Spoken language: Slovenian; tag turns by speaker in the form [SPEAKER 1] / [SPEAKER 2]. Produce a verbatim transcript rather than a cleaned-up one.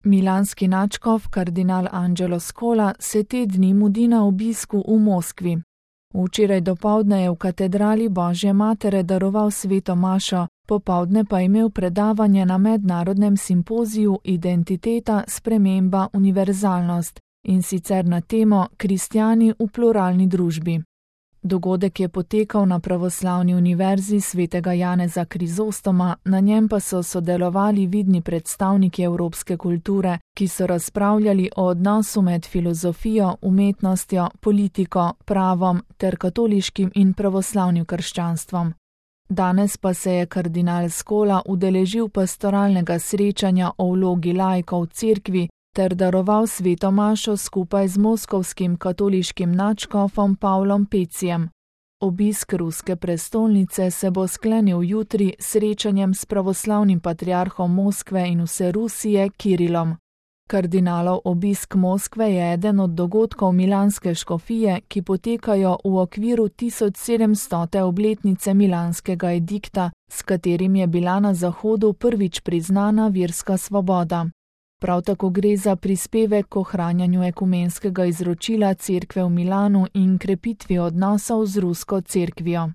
[SPEAKER 1] Milanski nadškof kardinal Angelo Scola se te dni mudi na obisku v Moskvi. Včeraj dopoldne je v katedrali Božje matere daroval sveto mašo, popoldne pa imel predavanje na mednarodnem simpoziju Identiteta, sprememba, univerzalnost, in sicer na temo Kristjani v pluralni družbi. Dogodek je potekal na Pravoslavni univerzi svetega Janeza Krizostoma, na njem pa so sodelovali vidni predstavniki evropske kulture, ki so razpravljali o odnosu med filozofijo, umetnostjo, politiko, pravom ter katoliškim in pravoslavnim krščanstvom. Danes pa se je kardinal Scola udeležil pastoralnega srečanja o vlogi laikov v cerkvi ter daroval sveto mašo skupaj z moskovskim katoliškim nadškofom Pavlom Pecijem. Obisk ruske prestolnice se bo sklenil jutri s srečanjem s pravoslavnim patriarhom Moskve in vse Rusije Kirilom. Kardinalov obisk Moskve je eden od dogodkov milanske škofije, ki potekajo v okviru tisoč sedemstote obletnice milanskega edikta, s katerim je bila na Zahodu prvič priznana verska svoboda. Prav tako gre za prispevek k ohranjanju ekumenskega izročila cerkve v Milanu in krepitvi odnosov z rusko cerkvijo.